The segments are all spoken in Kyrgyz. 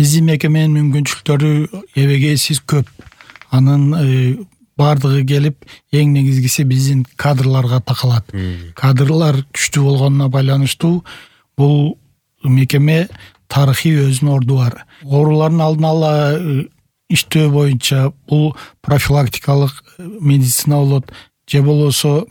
Биздин мекеменин мүмкүнчүлүктөрү эбегейсиз көп. Анын бардыгы келип, эң негизгиси биздин кадрларга такалат. Кадрлар күчтүү болгонуна байланыштуу бул мекеме тарыхый өзүнүн орду бар. Оорулардын алдын ала иштөө боюнча бул профилактикалык медицина болот, же болбосо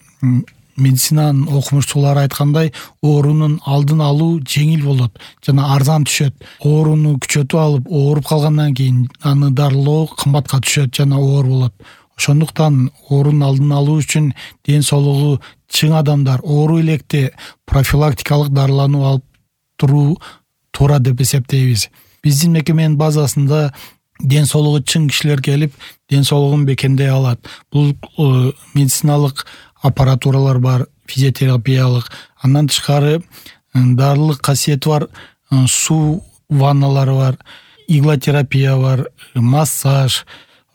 медицинанын окумуштуулары айткандай, оорунун алдын алуу жеңил болот жана арзан түшөт. Ооруну күчөтүп алып, ооруп калгандан кийин аны дарылоо кымбатка түшөт жана оор болот. Ошондуктан оорунун алдын алуу үчүн ден соолугу чың адамдар оору электе профилактикалык дарылануу алып туруу туура деп эсептейбиз. Биздин мекеменин базасында ден соолугу чың кишилер келип, ден соолугун бекемдей алат. Бул медициналык аппаратуралар бар, физиотерапиялык, андан тышкары дарылык касиети бар суу ванналары бар, иглотерапия бар, массаж,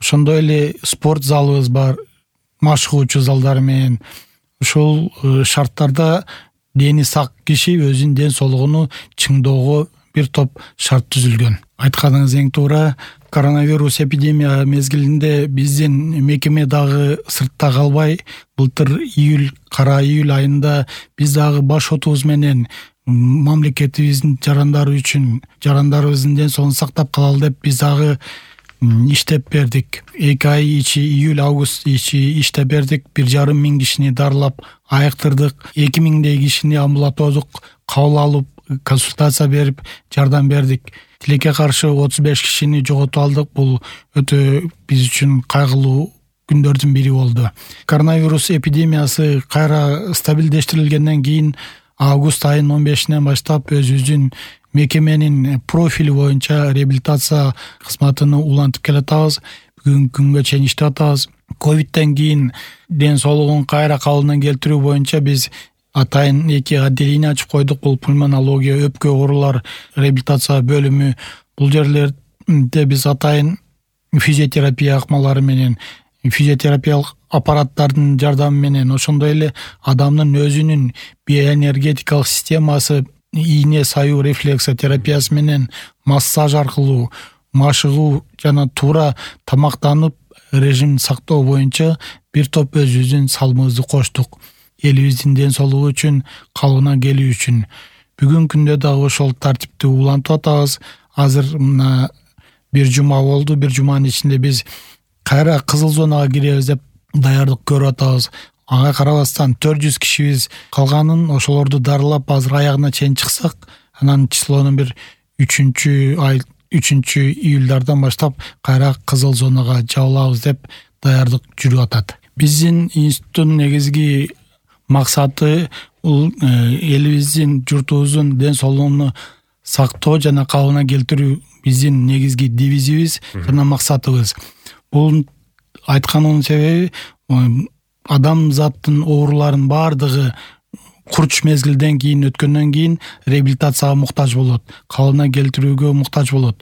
ошондой эле спорт залыбыз бар, машыгуучу залдар менен. Ушул шарттарда дени сак киши өзүнүн ден соолугуну чыңдоого бир топ шарт түзүлгөн. Айтканыңыз эң туура. Коронавирус эпидемия мезгилинде биздин мекеме дагы сыртта калбай, былтыр кара июль айында биз дагы баш отубуз менен мамлекетибиздин жарандарыбыздын ден соолугун сактап калалы деп биз дагы иштеп бердик. 2 ай ичи, июль, август ичи иштеп бердик. 1,5 миң кишини дарылап айыктырдык. 2000 кишини амбулатордук кабыл алып, консультация берип, жардам бердик. Тилекке каршы 35 кишини жоготуп алдык. Бул өтө биз үчүн кайгылуу күндөрдүн бири болду. Коронавирус эпидемиясы кайра стабилдештирилгенден кийин август айынын 15-нен баштап өзүбүздүн мекеменин профили боюнча реабилитация кызматыны улантып келатабыз. Бүгүнкү күнгө чейин иштеп атабыз. Ковидтен кийин ден соолугун кайра калыбына келтирүү боюнча биз атайын 2 отделение ачып койдук. Бул пульмонология, өпкө оорулар реабилитация бөлүмү. Бул жерлерде биз атайын физиотерапия акмалары менен, физиотерапиялык аппараттардын жардамы менен, ошондой эле адамдын өзүнүн биоэнергетикалык системасы, ийне саюу рефлексотерапиясы менен, массаж аркылуу, машыгуу жана туура тамактанып режим сактоо боюнча бир топ өзүбүздүн салымыбызды коштук. Элибиздин ден соолугу үчүн, калыбына келүү үчүн. Бүгүнкү күндө дагы ошол тартипти улантып атабыз. Азыр мына бир жума болду. Бир жуманын ичинде биз кайра кызыл зонага киребиз деп даярдык көрүп атабыз. Ага карабастан 400 кишибиз калганын ошолорду дарылап азыр аягына чейин чыксак, анан числонун бир 3 июльдардан баштап кайра кызыл зонага жабылабыз деп даярдык жүрүп атат. Биздин институттун негизги максаты бул элибиздин, журтубуздун ден соолугун сактоо жана калыбына келтирүү биздин негизги девизибиз жана максатыбыз. Бул айтканымдын себеби адамзаттын ооруларынын бардыгы курч мезгилден кийин өткөндөн кийин реабилитацияга муктаж болот, калыбына келтирүүгө муктаж болот.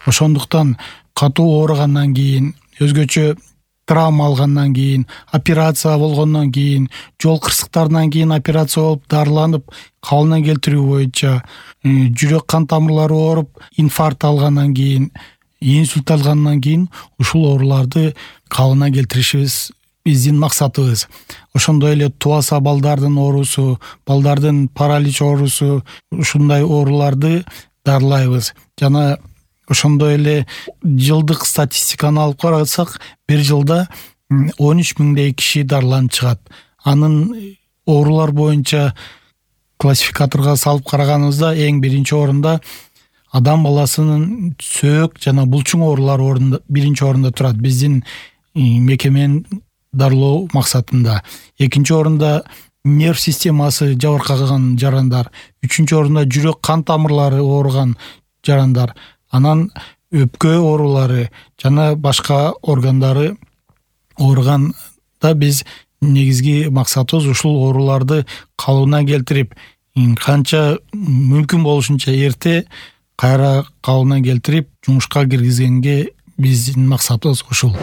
Ошондуктан катуу ооругандан кийин, өзгөчө травма алгандан кийин, операция болгондон кийин, жол кырсыктарынан кийин операция болуп, дарыланып, калыбына келтирүү боюнча, жүрөк кан тамырлары ооруп, инфаркт алгандан кийин, инсульт алгандан кийин ушул ооруларды калыбына келтиришибиз биздин максатыбыз. Ошондой эле тубаса балдардын оорусу, балдардын паралич оорусу, ушундай ооруларды дарылайбыз. Жана ошондой эле жылдык статистиканы алып карасак, бир жылда 13 миңдей киши дарыланып чыгат. Анын оорулар боюнча классификаторго салып караганыбызда эң биринчи орунда адам баласынын сөөк жана булчуң оорулары биринчи орунда турат биздин мекеменин дарылоо максатында. Экинчи орунда нерв системасы жабыркаган жарандар, үчүнчү орунда жүрөк кан тамырлары ооруган жарандар, анан өпкө оорулары жана башка органдары ооруганда биз негизги максатыбыз ушул ооруларды калыбына келтирип, канча мүмкүн болушунча эрте кайра калыбына келтирип, жумушка киргизгенге биздин максатыбыз ушул.